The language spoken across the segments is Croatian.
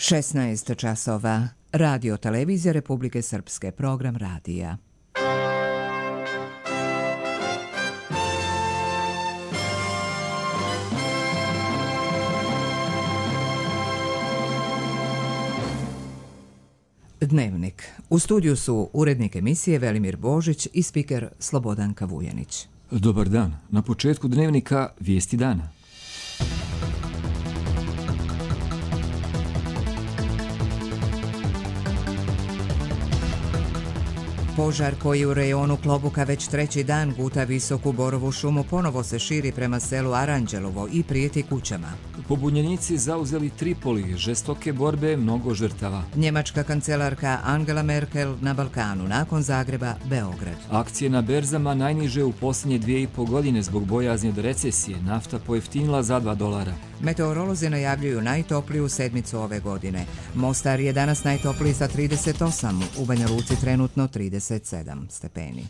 16 časova. Radio Televizija Republike Srpske. Program radija. Dnevnik. U studiju su urednik emisije Velimir Božić i spiker Slobodanka Vujanić. Dobar dan. Na početku dnevnika vijesti dana. Požar koji u rejonu Klobuka već treći dan guta visoku borovu šumu ponovo se širi prema selu Aranđelovo i prijeti kućama. Pobunjenici zauzeli Tripoli, žestoke borbe, mnogo žrtava. Njemačka kancelarka Angela Merkel na Balkanu, nakon Zagreba, Beograd. Akcije na berzama najniže u posljednje 2,5 godine zbog bojazni od recesije, nafta pojeftinila za $2. Meteorolozi najavljuju najtopliju sedmicu ove godine. Mostar je danas najtopliji sa 38, u Banja Luci trenutno 37 stepeni.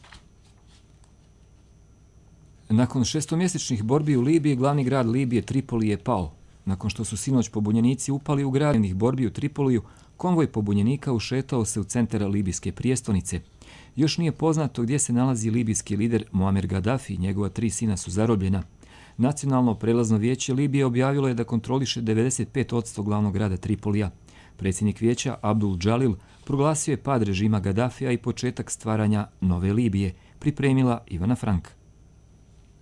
Nakon šestomjesečnih borbi u Libiji, glavni grad Libije Tripoli je pao. Nakon što su sinoć pobunjenici upali u gradnih borbi u Tripoliju, konvoj pobunjenika ušetao se u centar libijske prijestolnice. Još nije poznato gdje se nalazi libijski lider Muamer Gaddafi i njegova 3 sina su zarobljena. Nacionalno prelazno vijeće Libije objavilo je da kontroliše 95% glavnog grada Tripolija. Predsjednik vijeća Abdul Džalil proglasio je pad režima Gaddafija i početak stvaranja nove Libije, pripremila Ivana Frank.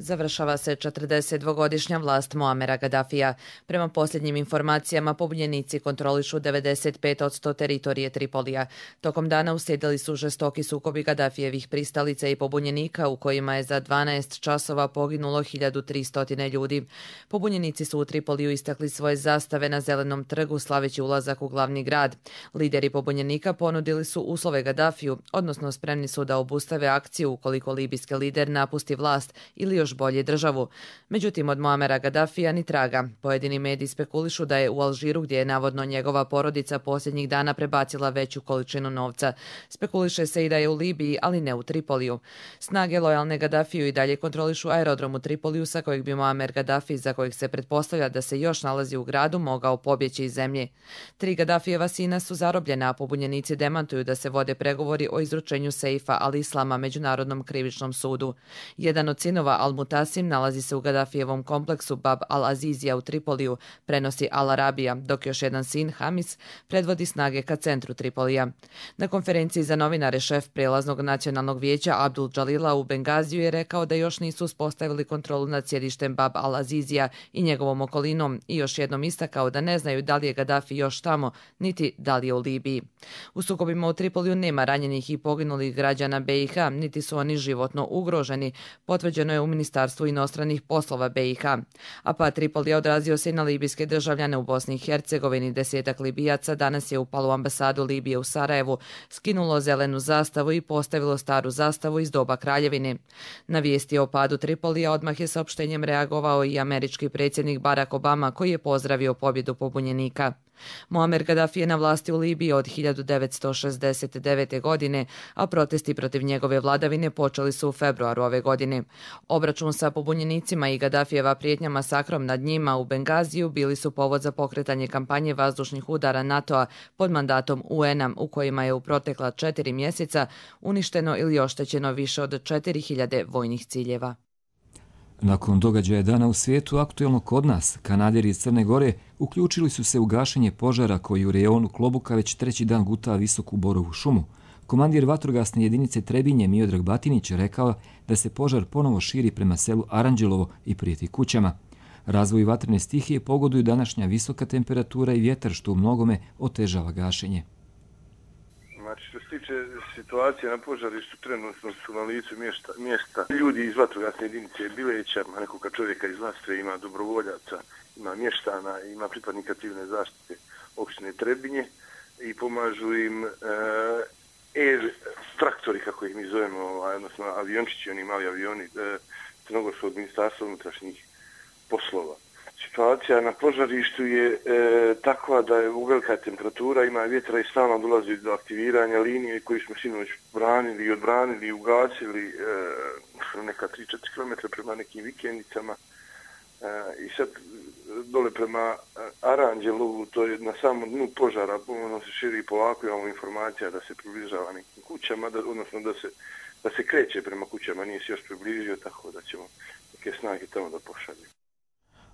Završava se 42-godišnja vlast Muamera Gaddafija. Prema posljednjim informacijama, pobunjenici kontrolišu 95% teritorije Tripolija. Tokom dana uslijedili su žestoki sukobi Gaddafijevih pristalica i pobunjenika u kojima je za 12 časova poginulo 1300 ljudi. Pobunjenici su u Tripoliju istakli svoje zastave na Zelenom trgu slaveći ulazak u glavni grad. Lideri pobunjenika ponudili su uslove Gaddafiju, odnosno spremni su da obustave akciju ukoliko libijski lider napusti vlast ili još bolje državu. Međutim, od Muamera Gaddafija ni traga. Pojedini mediji spekulišu da je u Alžiru, gdje je navodno njegova porodica posljednjih dana prebacila veću količinu novca. Spekuliše se i da je u Libiji, ali ne u Tripoliju. Snage lojalne Gaddafiju i dalje kontrolišu aerodrom u Tripoliju sa kojeg bi Muamer Gaddafi, za kojeg se pretpostavlja da se još nalazi u gradu, mogao pobjeći iz zemlje. 3 Gaddafijeva sina su zarobljena, a pobunjenici demantuju da se vode pregovori o izručenju Seifa al-Islama Međunarodnom krivičnom sudu. Jedan od sinova Al-Mutasim nalazi se u Gaddafijevom kompleksu Bab al-Azizija u Tripoliju, prenosi Al-Arabija, dok još jedan sin, Hamis, predvodi snage ka centru Tripolija. Na konferenciji za novinare šef prijelaznog nacionalnog vijeća Abdul Džalila u Bengaziju je rekao da još nisu uspostavili kontrolu nad sjedištem Bab al-Azizija i njegovom okolinom i još jednom istakao da ne znaju da li je Gaddafi još tamo, niti da li je u Libiji. U sukobima u Tripoliju nema ranjenih i poginulih građana BiH, niti su oni životno ugroženi, potvrđeno je u Ministarstvu inostranih poslova BiH. A Tripoli je odrazio se i na libijske državljane u Bosni i Hercegovini. 10-ak Libijaca danas je upalo u ambasadu Libije u Sarajevu, skinulo zelenu zastavu i postavilo staru zastavu iz doba kraljevine. Na vijesti o padu Tripolija odmah je saopštenjem reagovao i američki predsjednik Barack Obama, koji je pozdravio pobjedu pobunjenika. Muamer Gaddafi je na vlasti u Libiji od 1969. godine, a protesti protiv njegove vladavine počeli su u februaru ove godine. Obračun sa pobunjenicima i Gaddafijeva prijetnja masakrom nad njima u Bengaziju bili su povod za pokretanje kampanje vazdušnih udara NATO-a pod mandatom UN-a, u kojima je u protekla 4 mjeseca uništeno ili oštećeno više od 4000 vojnih ciljeva. Nakon događaja dana u svijetu, aktuelno kod nas, Kanaderi iz Crne Gore uključili su se u gašenje požara koji u rejonu Klobuka već treći dan guta visoku borovu šumu. Komandir vatrogasne jedinice Trebinje Miodrag Batinić je rekao da se požar ponovo širi prema selu Aranđelovo i prijeti kućama. Razvoju vatrene stihije pogoduju današnja visoka temperatura i vjetar, što u mnogome otežava gašenje. Znači, što se tiče situacije na požarištu, trenutno su na licu mjesta ljudi iz vatrogasne jedinice Bileća, nekoga čovjeka iz Lastre, ima dobrovoljaca, ima mještana, ima pripadnika civilne zaštite opštine Trebinje i pomažu im traktori, kako ih mi zovemo, odnosno aviončići, oni mali avioni Crnogorskog ministarstva unutrašnjih poslova. Situacija na požarištu je takva da je velika temperatura, ima vjetra i stalno dolazi do aktiviranja linije koju smo sinoć branili i odbranili i ugasili neka 3-4 km prema nekim vikendicama. I sad dole prema Aranđelovu, to je na samom dnu požara, ono se širi polako, imamo informacija da se približava nekim kućama, odnosno da se kreće prema kućama, nije se još približio, tako da ćemo neke snage tamo da pošalju.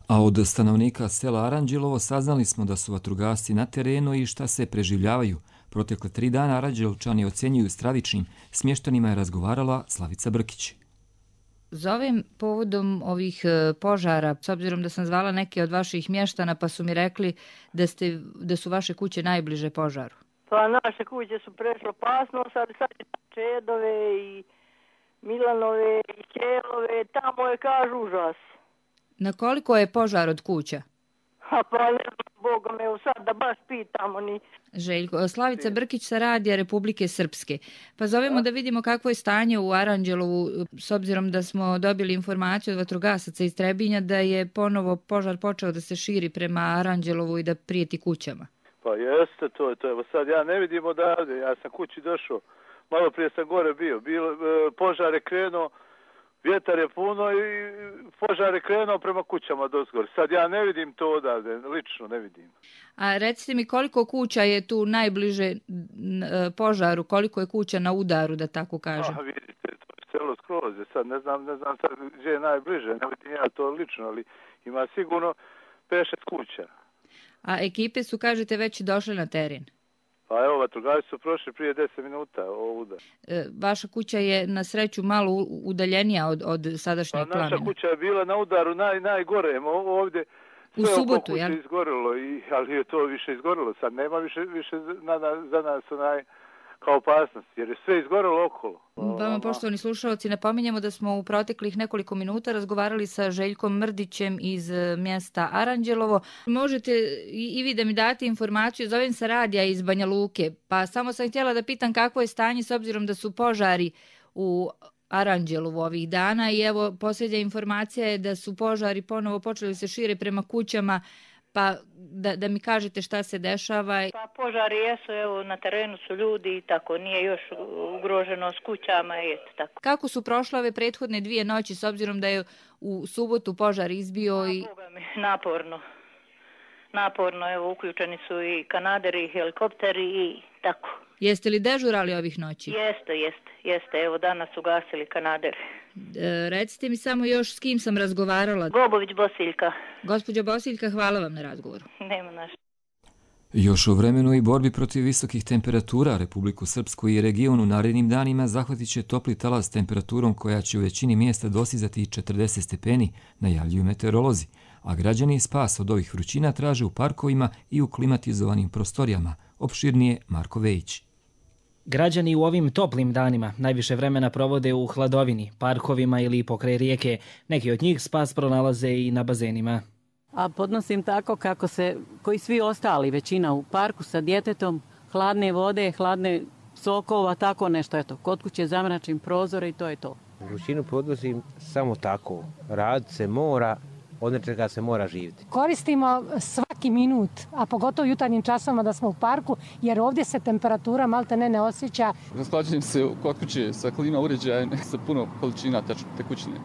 A od stanovnika sela Aranđelovo saznali smo da su vatrogasci na terenu i šta se preživljavaju. Protekle 3 dana Aranđelovčani ocjenjuju stravičnim. S mještanima je razgovarala Slavica Brkić. Zovem povodom ovih požara, s obzirom da sam zvala neke od vaših mještana, pa su mi rekli da su vaše kuće najbliže požaru. Pa naše kuće su prešle opasnost, ali sad je Čedove i Milanove i Kelove, tamo je kažu užas. Na koliko je požar od kuća? Pa ne znam, Bogom, evo sad da baš pitamo ni... Željko, Slavica Brkić sa radija Republike Srpske. Pa zovemo da vidimo kakvo je stanje u Aranđelovu, s obzirom da smo dobili informaciju od vatrogasaca iz Trebinja da je ponovo požar počeo da se širi prema Aranđelovu i da prijeti kućama. Pa jeste, to je. Evo sad ja ne vidim odavde, ja sam kući došao, malo prije sam gore bio, požar je krenuo, vjetar je puno i požar je krenuo prema kućama dozgor. Sad ja ne vidim to odavde, lično ne vidim. A recite mi koliko kuća je tu najbliže požaru, koliko je kuća na udaru, da tako kažem? Vidite, to je celo skroz. Sad ne znam sad gdje je najbliže, ne vidim ja to lično, ali ima sigurno 5-6 kuća. A ekipe su, kažete, već došle na teren? Pa evo, vatrogasci su prošli prije 10 minuta ovuda. Vaša kuća je na sreću malo udaljenija od sadašnjeg plamena. Naša kuća je bila na udaru najgore, ovdje sve u subotu, oko kuće izgorilo, ali je to više izgorilo. Sad nema više za nas kao opasnost, jer je sve izgorilo okolo. Vama, poštovani slušalci, napominjemo da smo u proteklih nekoliko minuta razgovarali sa Željkom Mrdićem iz mjesta Aranđelovo. Možete i vi da mi date informaciju, zovem sa radija iz Banja Luke, pa samo sam htjela da pitam kakvo je stanje s obzirom da su požari u Aranđelovu ovih dana i evo posljednja informacija je da su požari ponovo počeli se šire prema kućama, pa da mi kažete šta se dešava. Pa požari jesu, evo na terenu su ljudi i tako, nije još ugroženo s kućama i eto tako. Kako su prošle ove prethodne 2 noći s obzirom da je u subotu požar izbio i... Boga mi, naporno, evo uključeni su i kanaderi, helikopteri i tako. Jeste li dežurali ovih noći? Jeste, evo danas su gasili kanaderi. Recite mi samo još s kim sam razgovarala. Bobović Bosiljka. Gospođa Bosiljka, hvala vam na razgovoru. Nema naša. Još u vremenu i borbi protiv visokih temperatura Republiku Srpsku i region u narednim danima zahvatit će topli talas temperaturom koja će u većini mjesta dosizati 40 stepeni, najavljuju meteorolozi, a građani spas od ovih vrućina traže u parkovima i u klimatizovanim prostorijama. Opširnije Marko Vejić. Građani u ovim toplim danima najviše vremena provode u hladovini, parkovima ili pokraj rijeke. Neki od njih spas pronalaze i na bazenima. A podnosim tako kako koji svi ostali, većina u parku sa djetetom, hladne vode, hladne sokova, tako nešto. Eto, kod kuće zamračim prozore i to je to. Vrućinu podnosim samo tako. Rad se mora, od nečega se mora živjeti. Koristimo svaki minut, a pogotovo jutarnjim časovima da smo u parku, jer ovdje se temperatura malte ne osjeća. Rashlađujem se kod kuće sa klima uređajem sa puno količina tekućine.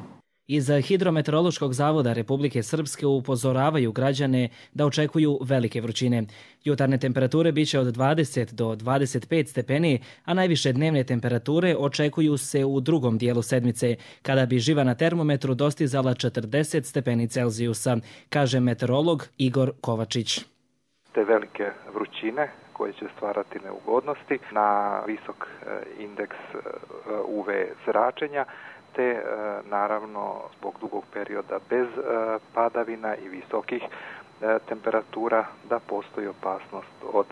Iz Hidrometeorološkog zavoda Republike Srpske upozoravaju građane da očekuju velike vrućine. Jutarnje temperature biće od 20 do 25 stepeni, a najviše dnevne temperature očekuju se u drugom dijelu sedmice, kada bi živa na termometru dostizala 40 stepeni Celzijusa, kaže meteorolog Igor Kovačić. Te velike vrućine koje će stvarati neugodnosti na visok indeks UV zračenja, te naravno zbog dugog perioda bez padavina i visokih temperatura da postoji opasnost od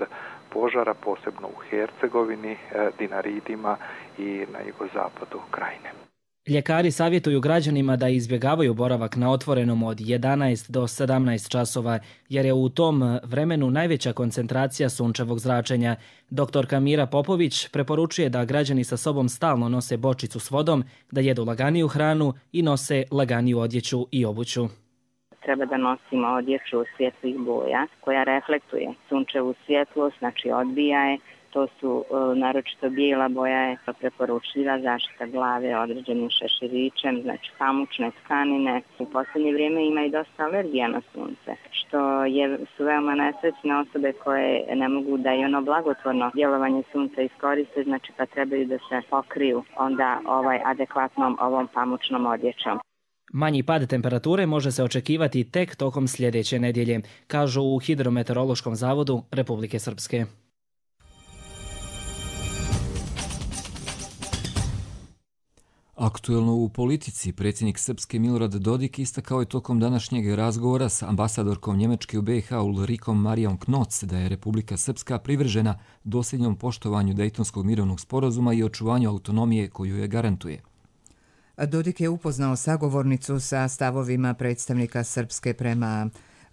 požara, posebno u Hercegovini, Dinaridima i na jugozapadu Krajine. Ljekari savjetuju građanima da izbjegavaju boravak na otvorenom od 11 do 17 časova, jer je u tom vremenu najveća koncentracija sunčevog zračenja. Doktorka Mira Popović preporučuje da građani sa sobom stalno nose bočicu s vodom, da jedu laganiju hranu i nose laganiju odjeću i obuću. Treba da nosimo odjeću svjetlih boja koja reflektuje sunčevu svjetlost, znači odbija je, To su naročito bijela boja je preporučljiva, zaštita glave određenim šeširićem, znači pamučne tkanine. U posljednje vrijeme ima i dosta alergija na sunce, što su veoma nesrećne osobe koje ne mogu da i ono blagotvorno djelovanje sunca iskoriste, znači pa trebaju da se pokriju onda adekvatnom ovom pamučnom odjećom. Manji pad temperature može se očekivati tek tokom sljedeće nedjelje, kažu u Hidrometeorološkom zavodu Republike Srpske. Aktuelno u politici, predsjednik Srpske Milorad Dodik istakao je tokom današnjeg razgovora s ambasadorkom Njemačke u BiH Ulrikom Marijom Knoc da je Republika Srpska privržena dosljednjom poštovanju Dejtonskog mirovnog sporazuma i očuvanju autonomije koju je garantuje. Dodik je upoznao sagovornicu sa stavovima predstavnika Srpske prema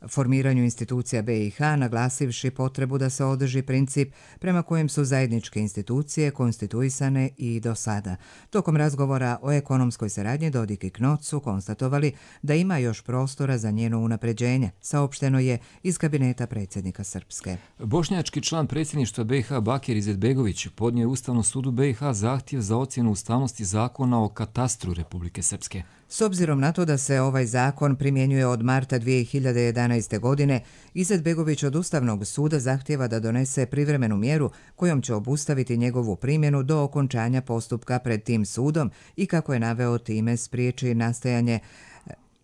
formiranju institucija BiH, naglasivši potrebu da se održi princip prema kojem su zajedničke institucije konstituisane i do sada. Tokom razgovora o ekonomskoj saradnji Dodik i Knoc su konstatovali da ima još prostora za njeno unapređenje, saopšteno je iz kabineta predsjednika Srpske. Bošnjački član predsjedništva BiH Bakir Izetbegović podnio je Ustavnom sudu BiH zahtjev za ocjenu ustavnosti zakona o katastru Republike Srpske. S obzirom na to da se ovaj zakon primjenjuje od marta 2011. godine, Izetbegović od Ustavnog suda zahtjeva da donese privremenu mjeru kojom će obustaviti njegovu primjenu do okončanja postupka pred tim sudom i, kako je naveo, time spriječi nastajanje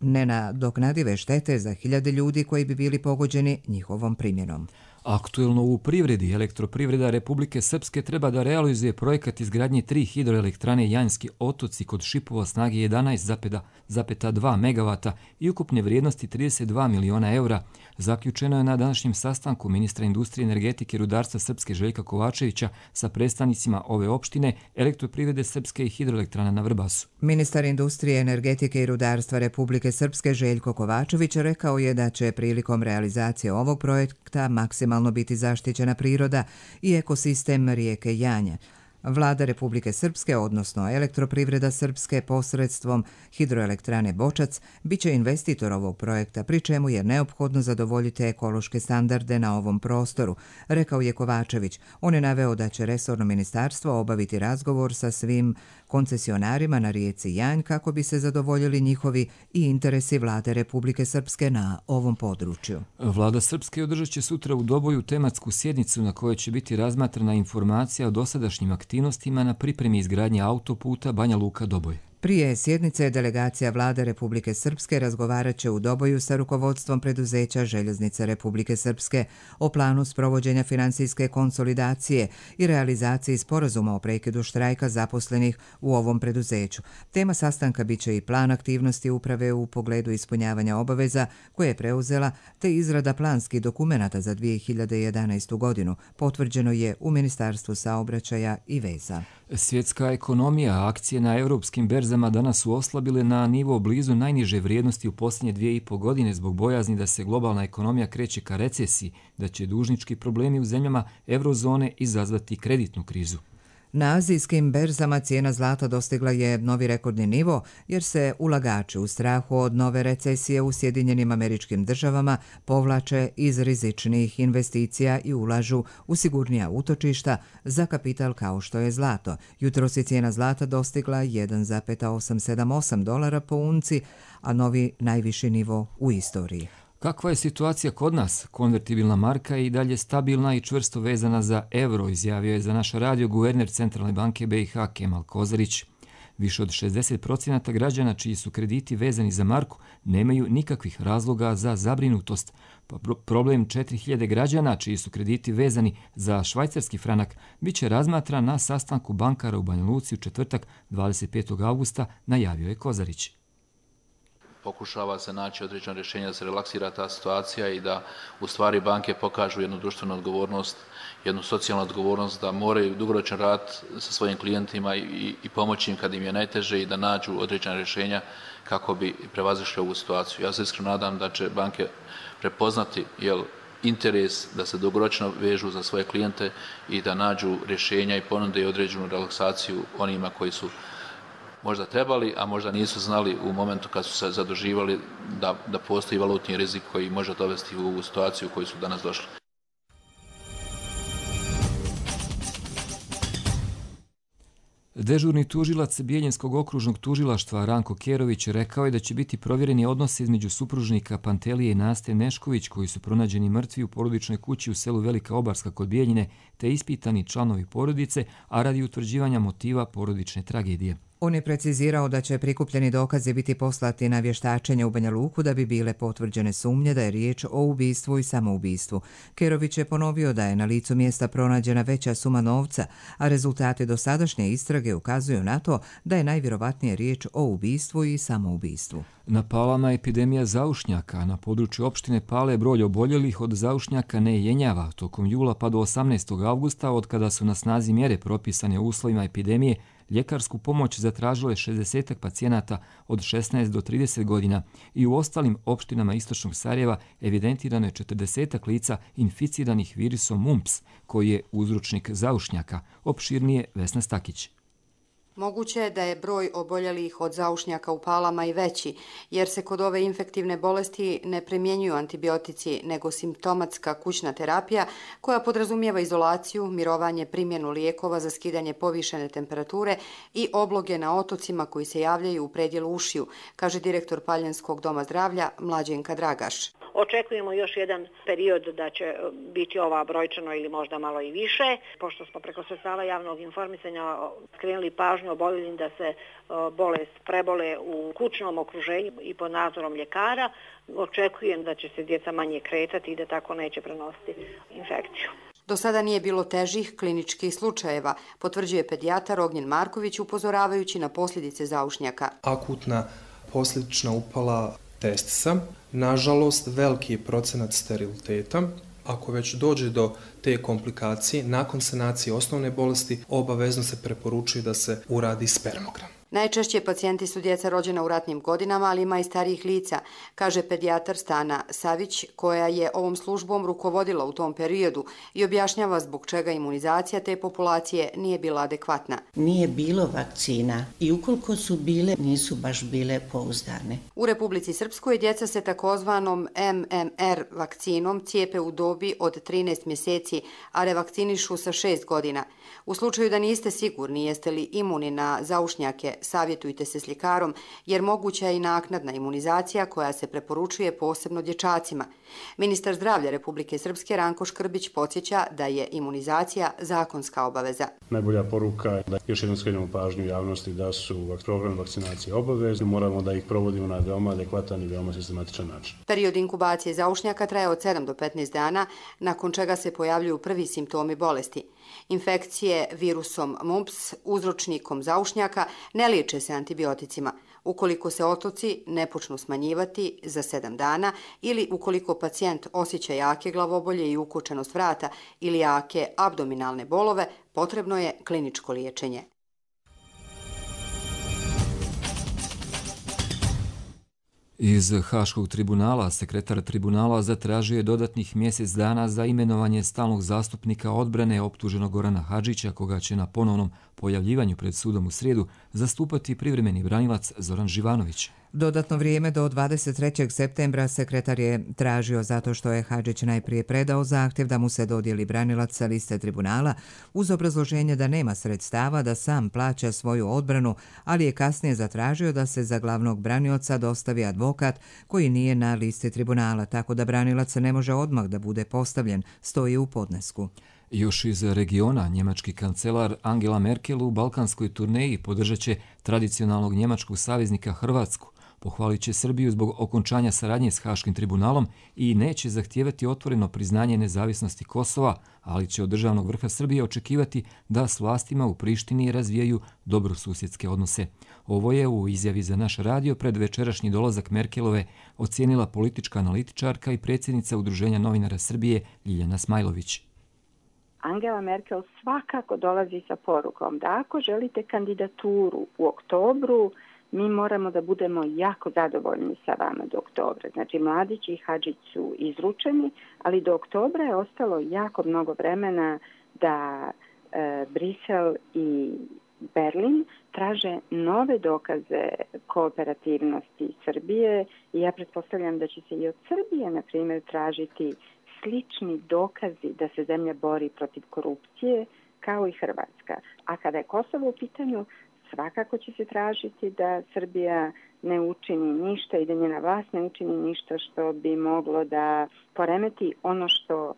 nenadoknadive štete za hiljade ljudi koji bi bili pogođeni njihovom primjenom. Aktuelno u privredi, Elektroprivreda Republike Srpske treba da realizuje projekat izgradnje 3 hidroelektrane Janjski otoci kod Šipova snage 11,2 megavata i ukupne vrijednosti 32 miliona eura. Zaključeno je na današnjem sastanku ministra industrije, energetike i rudarstva Srpske Željka Kovačevića sa predstavnicima ove opštine, Elektroprivrede Srpske i hidroelektrana na Vrbasu. Ministar industrije, energetike i rudarstva Republike Srpske Željko Kovačević rekao je da će prilikom realizacije ovog projekta maksimalno biti zaštićena priroda i ekosistem rijeke Janje. Vlada Republike Srpske, odnosno Elektroprivreda Srpske posredstvom hidroelektrane Bočac, biće investitor ovog projekta, pri čemu je neophodno zadovoljiti ekološke standarde na ovom prostoru, rekao je Kovačević. On je naveo da će resorno ministarstvo obaviti razgovor sa svim koncesionarima na rijeci Janj kako bi se zadovoljili njihovi i interesi Vlade Republike Srpske na ovom području. Vlada Srpske održat će sutra u Doboju tematsku sjednicu na kojoj će biti razmatrana informacija o dosadašnjim aktivnostima na pripremi izgradnje autoputa Banja Luka-Doboj. Prije sjednice delegacija Vlade Republike Srpske razgovarat će u Doboju sa rukovodstvom preduzeća Željeznice Republike Srpske o planu sprovođenja finansijske konsolidacije i realizaciji sporazuma o prekidu štrajka zaposlenih u ovom preduzeću. Tema sastanka biće i plan aktivnosti uprave u pogledu ispunjavanja obaveza koje je preuzela, te izrada planskih dokumenata za 2011. godinu, potvrđeno je u Ministarstvu saobraćaja i veza. Svjetska ekonomija, akcije na europskim berzama danas su oslabile na nivo blizu najniže vrijednosti u posljednje 2,5 godine zbog bojazni da se globalna ekonomija kreće ka recesiji, da će dužnički problemi u zemljama eurozone izazvati kreditnu krizu. Na azijskim berzama cijena zlata dostigla je novi rekordni nivo jer se ulagači u strahu od nove recesije u Sjedinjenim Američkim Državama povlače iz rizičnih investicija i ulažu u sigurnija utočišta za kapital kao što je zlato. Jutros je cijena zlata dostigla $1,878 po unci, a novi najviši nivo u istoriji. Kakva je situacija kod nas? Konvertibilna marka je i dalje stabilna i čvrsto vezana za euro, izjavio je za naš radio guverner Centralne banke BiH Kemal Kozarić. Više od 60% građana čiji su krediti vezani za marku nemaju nikakvih razloga za zabrinutost. Problem 4000 građana čiji su krediti vezani za švajcarski franak bit će razmatran na sastanku bankara u Banja Luci u četvrtak 25. augusta, najavio je Kozarić. Pokušava se naći određeno rješenje da se relaksira ta situacija i da u stvari banke pokažu jednu društvenu odgovornost, jednu socijalnu odgovornost, da moraju dugoročan rad sa svojim klijentima i pomoći im kad im je najteže i da nađu određena rješenja kako bi prevazišli ovu situaciju. Ja se iskreno nadam da će banke prepoznati interes da se dugoročno vežu za svoje klijente i da nađu rješenja i ponude određenu relaksaciju onima koji su možda trebali, a možda nisu znali u momentu kad su se zaduživali da postoji valutni rizik koji može dovesti u ovu situaciju u koju su danas došli. Dežurni tužilac Bijeljinskog okružnog tužilaštva Ranko Kerović rekao je da će biti provjereni odnosi između supružnika Pantelije i Naste Nešković, koji su pronađeni mrtvi u porodičnoj kući u selu Velika Obarska kod Bijeljine, te ispitani članovi porodice, a radi utvrđivanja motiva porodične tragedije. On je precizirao da će prikupljeni dokazi biti poslati na vještačenje u Banja Luku da bi bile potvrđene sumnje da je riječ o ubistvu i samoubistvu. Kerović je ponovio da je na licu mjesta pronađena veća suma novca, a rezultati dosadašnje istrage ukazuju na to da je najvjerovatnije riječ o ubistvu i samoubistvu. Na Palama epidemija zaušnjaka. Na području opštine Pale broj oboljelih od zaušnjaka ne jenjava. Tokom jula pa do 18. avgusta, od kada su na snazi mjere propisane u uslovima epidemije, ljekarsku pomoć zatražile 60 pacijenata od 16 do 30 godina i u ostalim opštinama istočnog Sarajeva evidentirano je 40 lica inficiranih virusom mumps, koji je uzročnik zaušnjaka. Opširnije Vesna Stakić. Moguće je da je broj oboljelih od zaušnjaka u Palama i veći, jer se kod ove infektivne bolesti ne primjenjuju antibiotici, nego simptomatska kućna terapija koja podrazumijeva izolaciju, mirovanje, primjenu lijekova za skidanje povišene temperature i obloge na otocima koji se javljaju u predjelu ušiju, kaže direktor Paljanskog doma zdravlja Mlađenka Dragaš. Očekujemo još jedan period da će biti ova brojčano ili možda malo i više, pošto smo preko sredstava javnog informisanja skrenuli pažnju oboljelim da se bolest prebole u kućnom okruženju i pod nadzorom ljekara. Očekujem da će se djeca manje kretati i da tako neće prenositi infekciju. Do sada nije bilo težih kliničkih slučajeva, potvrđuje pedijatar Ognjen Marković upozoravajući na posljedice zaušnjaka. Akutna posljedična upala testisa, nažalost veliki je procenat steriliteta. Ako već dođe do te komplikacije, nakon sanacije osnovne bolesti, obavezno se preporučuje da se uradi spermogram. Najčešće pacijenti su djeca rođena u ratnim godinama, ali ima i starijih lica, kaže pedijatar Stana Savić, koja je ovom službom rukovodila u tom periodu i objašnjava zbog čega imunizacija te populacije nije bila adekvatna. Nije bilo vakcina i ukoliko su bile, nisu baš bile pouzdane. U Republici Srpskoj djeca se takozvanom MMR vakcinom cijepe u dobi od 13 mjeseci, a revakcinišu sa 6 godina. U slučaju da niste sigurni jeste li imuni na zaušnjake, savjetujte se s ljekarom, jer moguća je i naknadna imunizacija koja se preporučuje posebno dječacima. Ministar zdravlja Republike Srpske Ranko Škrbić podsjeća da je imunizacija zakonska obaveza. Najbolja poruka je da još jednom skrenemo pažnju javnosti da su program vakcinacije obavezni. Moramo da ih provodimo na veoma adekvatan i veoma sistematičan način. Period inkubacije zaušnjaka traje od 7 do 15 dana, nakon čega se pojavljuju prvi simptomi bolesti. Infekcije virusom mumps, uzročnikom zaušnjaka, ne liječe se antibioticima. Ukoliko se otoci ne počnu smanjivati za 7 dana ili ukoliko pacijent osjeća jake glavobolje i ukočenost vrata ili jake abdominalne bolove, potrebno je kliničko liječenje. Iz Haškog tribunala sekretar tribunala zatražio je dodatnih mjesec dana za imenovanje stalnog zastupnika odbrane optuženog Gorana Hadžića, koga će na ponovnom pojavljivanju pred sudom u srijedu zastupati privremeni branilac Zoran Živanović. Dodatno vrijeme do 23. septembra sekretar je tražio zato što je Hadžić najprije predao zahtjev da mu se dodijeli branilac sa liste tribunala uz obrazloženje da nema sredstava da sam plaća svoju odbranu, ali je kasnije zatražio da se za glavnog branioca dostavi advokat koji nije na listi tribunala, tako da branilac ne može odmah da bude postavljen, stoji u podnesku. Još iz regiona, njemački kancelar Angela Merkel u balkanskoj turneji podržat će tradicionalnog njemačkog saveznika Hrvatsku. Pohvalit će Srbiju zbog okončanja saradnje s Haškim tribunalom i neće zahtijevati otvoreno priznanje nezavisnosti Kosova, ali će od državnog vrha Srbije očekivati da s vlastima u Prištini razvijaju dobrosusjedske odnose. Ovo je u izjavi za naš radio pred večerašnji dolazak Merkelove ocijenila politička analitičarka i predsjednica Udruženja novinara Srbije Ljiljana Smajlović. Angela Merkel svakako dolazi sa porukom da ako želite kandidaturu u oktobru, mi moramo da budemo jako zadovoljni sa vama do oktobra. Znači, Mladić i Hadžić su izručeni, ali do oktobra je ostalo jako mnogo vremena da Brisel i Berlin traže nove dokaze kooperativnosti Srbije i ja pretpostavljam da će se i od Srbije, na primjer, tražiti slični dokazi da se zemlja bori protiv korupcije, kao i Hrvatska. A kada je Kosovo u pitanju, svakako će se tražiti da Srbija ne učini ništa i da njena vlast ne učini ništa što bi moglo da poremeti ono što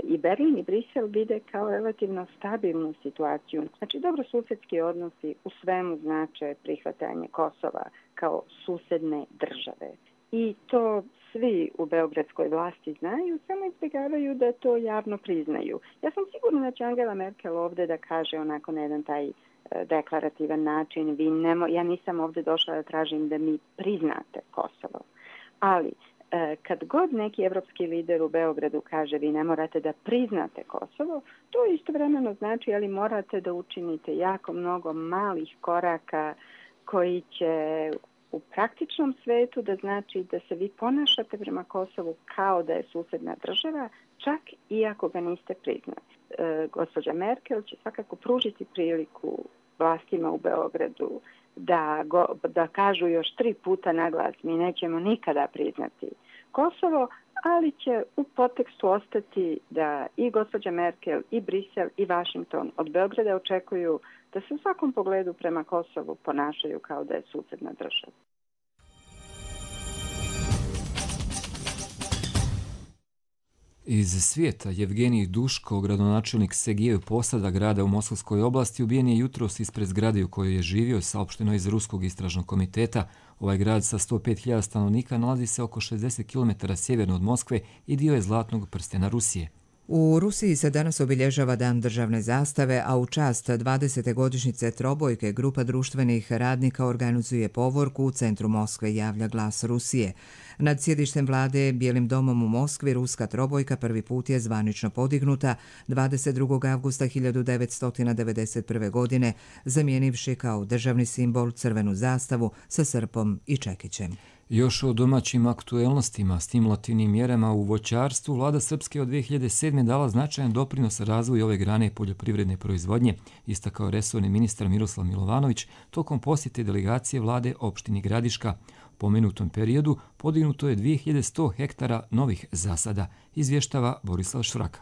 i Berlin i Brisel vide kao relativno stabilnu situaciju. Znači, dobrosusedski odnosi u svemu znače prihvatanje Kosova kao susedne države. I to svi u beogradskoj vlasti znaju, samo izbjegavaju da to javno priznaju. Ja sam sigurna da će Angela Merkel ovdje da kaže onako na jedan taj deklarativan način, ja nisam ovdje došla da tražim da mi priznate Kosovo. Ali kad god neki evropski lider u Beogradu kaže vi ne morate da priznate Kosovo, to istovremeno znači ali morate da učinite jako mnogo malih koraka koji će u praktičnom svetu da znači da se vi ponašate prema Kosovu kao da je susedna država, čak i ako ga niste priznali. Gospođa Merkel će svakako pružiti priliku vlastima u Beogradu da kažu još 3 puta na glas, mi nećemo nikada priznati Kosovo, ali će u podtekstu ostati da i gospođa Merkel, i Brisel, i Washington od Beograda očekuju da se u svakom pogledu prema Kosovu ponašaju kao da je susedna država. Iz svijeta Jevgenij Duško, gradonačelnik Segijevog Posada, grada u Moskovskoj oblasti, ubijen je jutros ispred zgrade u kojoj je živio, saopšteno iz Ruskog istražnog komiteta. Ovaj grad sa 105.000 stanovnika nalazi se oko 60 km sjeverno od Moskve i dio je zlatnog prstena Rusije. U Rusiji se danas obilježava Dan državne zastave, a u čast 20. godišnjice trobojke grupa društvenih radnika organizuje povorku u centru Moskve, javlja Glas Rusije. Nad sjedištem vlade Bijelim domom u Moskvi ruska trobojka prvi put je zvanično podignuta 22. avgusta 1991. godine, zamijenivši kao državni simbol crvenu zastavu sa srpom i čekićem. Još o domaćim aktuelnostima, stimulativnim mjerama u voćarstvu, vlada Srpske od 2007. dala značajan doprinos razvoju ove grane poljoprivredne proizvodnje, istakao resorni ministar Miroslav Milovanović tokom posjete delegacije vlade opštini Gradiška. U pomenutom periodu podignuto je 2100 hektara novih zasada, izvještava Borislav Švraka.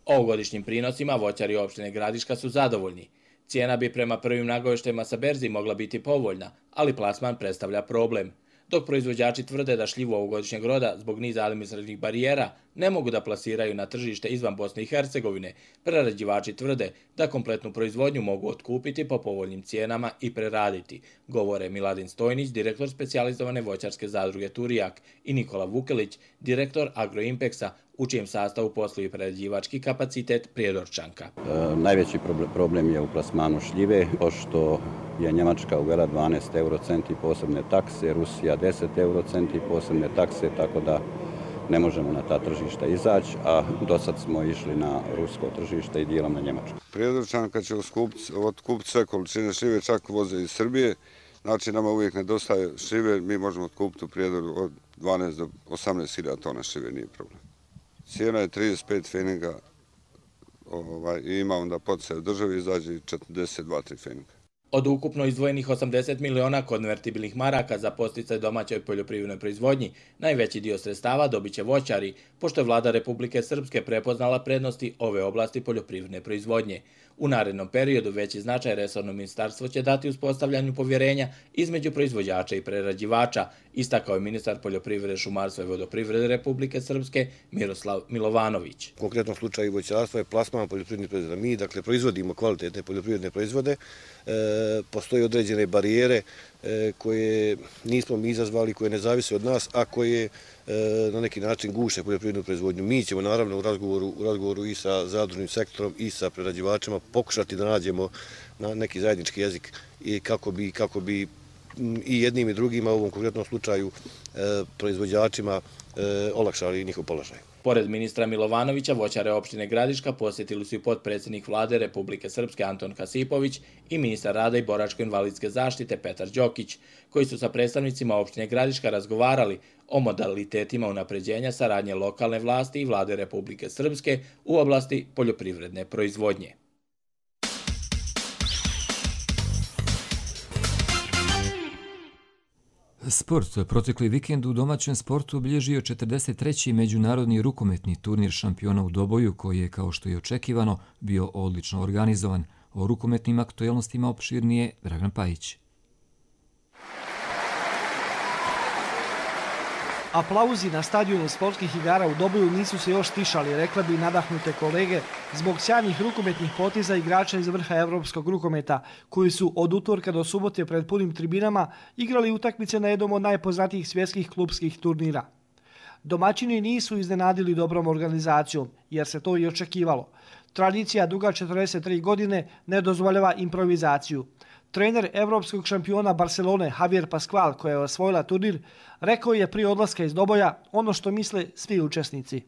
Ovogodišnjim prinosima voćari opštine Gradiška su zadovoljni. Cijena bi prema prvim nagovještajima sa berzi mogla biti povoljna, ali plasman predstavlja problem. Dok proizvođači tvrde da šljivu ovogodišnjeg roda zbog niza administrativnih barijera ne mogu da plasiraju na tržište izvan Bosne i Hercegovine, prerađivači tvrde da kompletnu proizvodnju mogu otkupiti po povoljnim cijenama i preraditi, govore Miladin Stojnić, direktor specijalizovane voćarske zadruge Turijak, i Nikola Vukelić, direktor Agroimpexa, u čijem sastavu posluju prerađivački kapacitet Prijedorčanka. Najveći problem je u plasmanu šljive, pošto je Njemačka uvela 12 eurocenti posebne takse, Rusija 10 eurocenti posebne takse, tako da ne možemo na ta tržišta izaći, a do sad smo išli na rusko tržište i dijelom na Njemačko. Prijedorčanka će otkupiti sve količine šljive, čak voze iz Srbije. Znači, nama uvijek nedostaje šljive, mi možemo otkupiti u Prijedoru od 12 do 18.000 tona šljive, nije problem. Cijena je 35 feninga i ima onda poticaj u državi, izađe 42-3 feninga. Od ukupno izdvojenih 80 miliona konvertibilnih maraka za podsticaj domaćoj poljoprivrednoj proizvodnji, najveći dio sredstava dobit će voćari, pošto je vlada Republike Srpske prepoznala prednosti ove oblasti poljoprivredne proizvodnje. U narednom periodu veći značaj resorno ministarstvo će dati uspostavljanju povjerenja između proizvođača i prerađivača, istakao je ministar poljoprivrede, šumarstva i vodoprivrede Republike Srpske Miroslav Milovanović. U konkretnom slučaju voćarstva je plasman poljoprivrednih proizvoda. Mi, dakle, proizvodimo kvalitetne poljoprivredne proizvode, postoje određene barijere koje nismo mi izazvali, koje ne zavise od nas, a koje na neki način guše poljoprivrednu proizvodnju. Mi ćemo naravno u razgovoru i sa zadružnim sektorom i sa prerađivačima pokušati da nađemo neki zajednički jezik i kako bi i jednim i drugima u ovom konkretnom slučaju proizvođačima olakšali njihov položaj. Pored ministra Milovanovića, voćare opštine Gradiška posjetili su i potpredsjednik vlade Republike Srpske Anton Kasipović i ministar rada i boračko-invalidske zaštite Petar Đokić, koji su sa predstavnicima opštine Gradiška razgovarali o modalitetima unapređenja saradnje lokalne vlasti i vlade Republike Srpske u oblasti poljoprivredne proizvodnje. Sport. Protekli vikend u domaćem sportu obilježio 43. međunarodni rukometni turnir šampiona u Doboju, koji je, kao što je očekivano, bio odlično organizovan. O rukometnim aktuelnostima opširnije Dragan Pajić. Aplauzi na stadionu sportskih igara u Doboju nisu se još stišali, rekla bi nadahnute kolege, zbog sjajnih rukometnih poteza igrača iz vrha evropskog rukometa, koji su od utorka do subote pred punim tribinama igrali utakmice na jednom od najpoznatijih svjetskih klupskih turnira. Domaćini nisu iznenadili dobrom organizacijom, jer se to i očekivalo. Tradicija duga 43 godine ne dozvoljava improvizaciju. Trener evropskog šampiona Barcelone Javier Pascual, koja je osvojila turnir, rekao je prije odlaska iz Doboja ono što misle svi učesnici.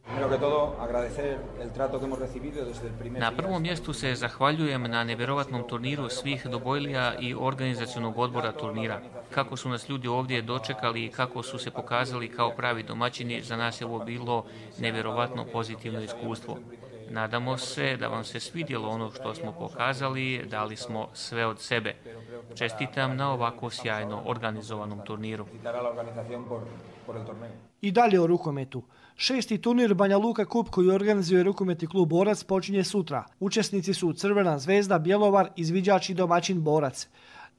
Na prvom mjestu se zahvaljujem na nevjerovatnom turniru svih Dobojlija i organizacionog odbora turnira. Kako su nas ljudi ovdje dočekali i kako su se pokazali kao pravi domaćini, za nas je ovo bilo nevjerovatno pozitivno iskustvo. Nadamo se da vam se svidjelo ono što smo pokazali, dali smo sve od sebe. Čestitam na ovako sjajno organizovanom turniru. I dalje o rukometu. 6. turnir Banja Luka Kup koji organizuje rukometni klub Borac počinje sutra. Učesnici su Crvena zvezda, Bjelovar, izviđač i domaćin Borac.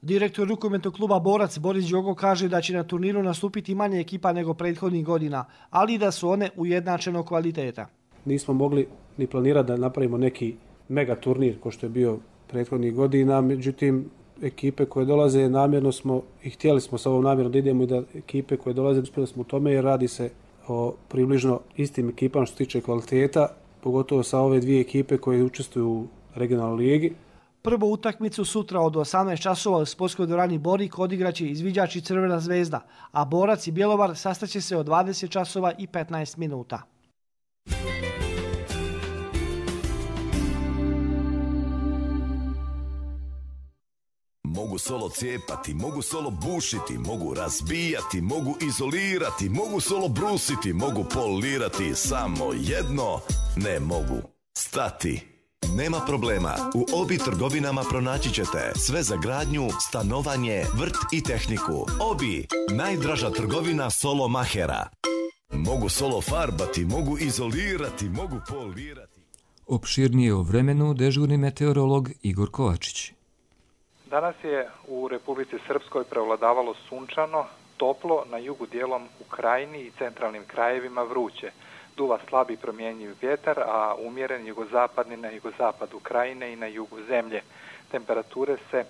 Direktor rukometnog kluba Borac Boris Đogo kaže da će na turniru nastupiti manje ekipa nego prethodnih godina, ali da su one ujednačenog kvaliteta. Nismo mogli ni planirati da napravimo neki mega turnir kao što je bio prethodnih godina, međutim ekipe koje dolaze namjerno smo i htjeli smo sa ovom namjerom da idemo i da ekipe koje dolaze uspjeli smo u tome jer radi se o približno istim ekipama što se tiče kvaliteta, pogotovo sa ove dvije ekipe koje učestvuju u regionalnoj ligi. Prvu utakmicu sutra od 18 časova u sportskoj dvorani Borik odigraće izviđač i Crvena zvezda, a Borac i Bjelovar sastaće se od 20 časova i 15 minuta. Mogu solo cijepati, mogu solo bušiti, mogu razbijati, mogu izolirati, mogu solo brusiti, mogu polirati, samo jedno ne mogu stati. Nema problema, u Obi trgovinama pronaći ćete sve za gradnju, stanovanje, vrt i tehniku. Obi, najdraža trgovina solo mahera. Mogu solo farbati, mogu izolirati, mogu polirati. Opširnije o vremenu dežurni meteorolog Igor Kovačić. Danas je u Republici Srpskoj prevladavalo sunčano, toplo, na jugu dijelom u Krajini i centralnim krajevima vruće. Duva slabi promjenjiv vjetar, a umjeren jugozapadni na jugozapadu Krajine i na jugu zemlje. Temperature se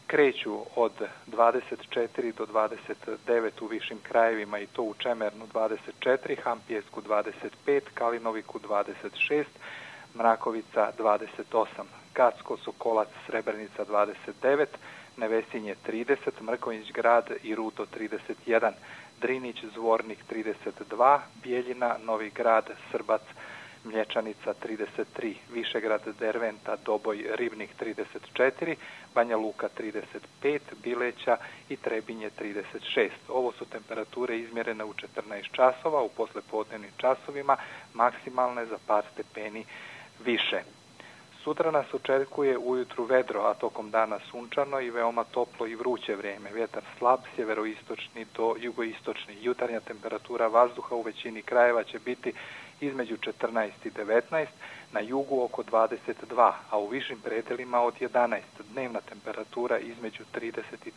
kreću od 24 do 29 u višim krajevima i to u Čemernu 24, Hampijesku 25, Kalinoviku 26, Mrakovica 28, Gacko, Sokolac, Srebrenica 29, Nevesinje 30, Mrkonjić grad i Ruto 31, Drinić, Zvornik 32, Bijeljina, Novi grad, Srbac, Mlječanica 33, Višegrad, Derventa, Doboj, Ribnik 34, Banja Luka 35, Bileća i Trebinje 36. Ovo su temperature izmjerene u 14 časova, u poslepodnevnim časovima, maksimalne za par stepeni više. Sutra nas očekuje ujutru vedro, a tokom dana sunčano i veoma toplo i vruće vrijeme. Vjetar slab, sjeveroistočni do jugoistočni. Jutarnja temperatura vazduha u većini krajeva će biti između 14 i 19, na jugu oko 22, a u višim predelima od 11. Dnevna temperatura između 30 i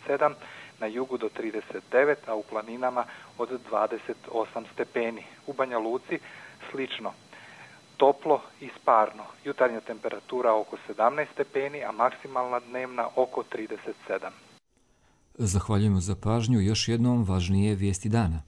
37, na jugu do 39, a u planinama od 28 stepeni. U Banja Luci slično. Toplo i sparno. Jutarnja temperatura oko 17 stepeni, a maksimalna dnevna oko 37. Zahvaljujemo za pažnju. Još jednom važnije vijesti dana.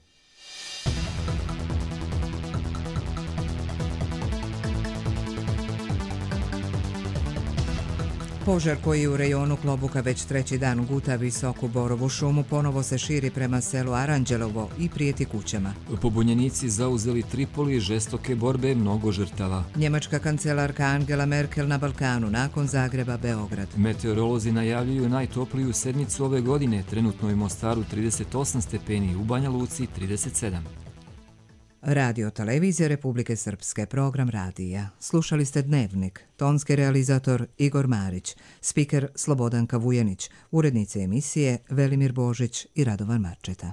Požar koji u rejonu Klobuka već treći dan guta visoku borovu šumu ponovo se širi prema selu Aranđelovo i prijeti kućama. Pobunjenici zauzeli Tripoli, žestoke borbe, mnogo žrtava. Njemačka kancelarka Angela Merkel na Balkanu nakon Zagreba, Beograd. Meteorolozi najavljuju najtopliju sedmicu ove godine, trenutno u Mostaru 38 stepeni, u Banja Luci 37. Radio Televizija Republike Srpske, program radija. Slušali ste Dnevnik, tonski realizator Igor Marić, spiker Slobodanka Vujanić, urednice emisije Velimir Božić i Radovan Marčeta.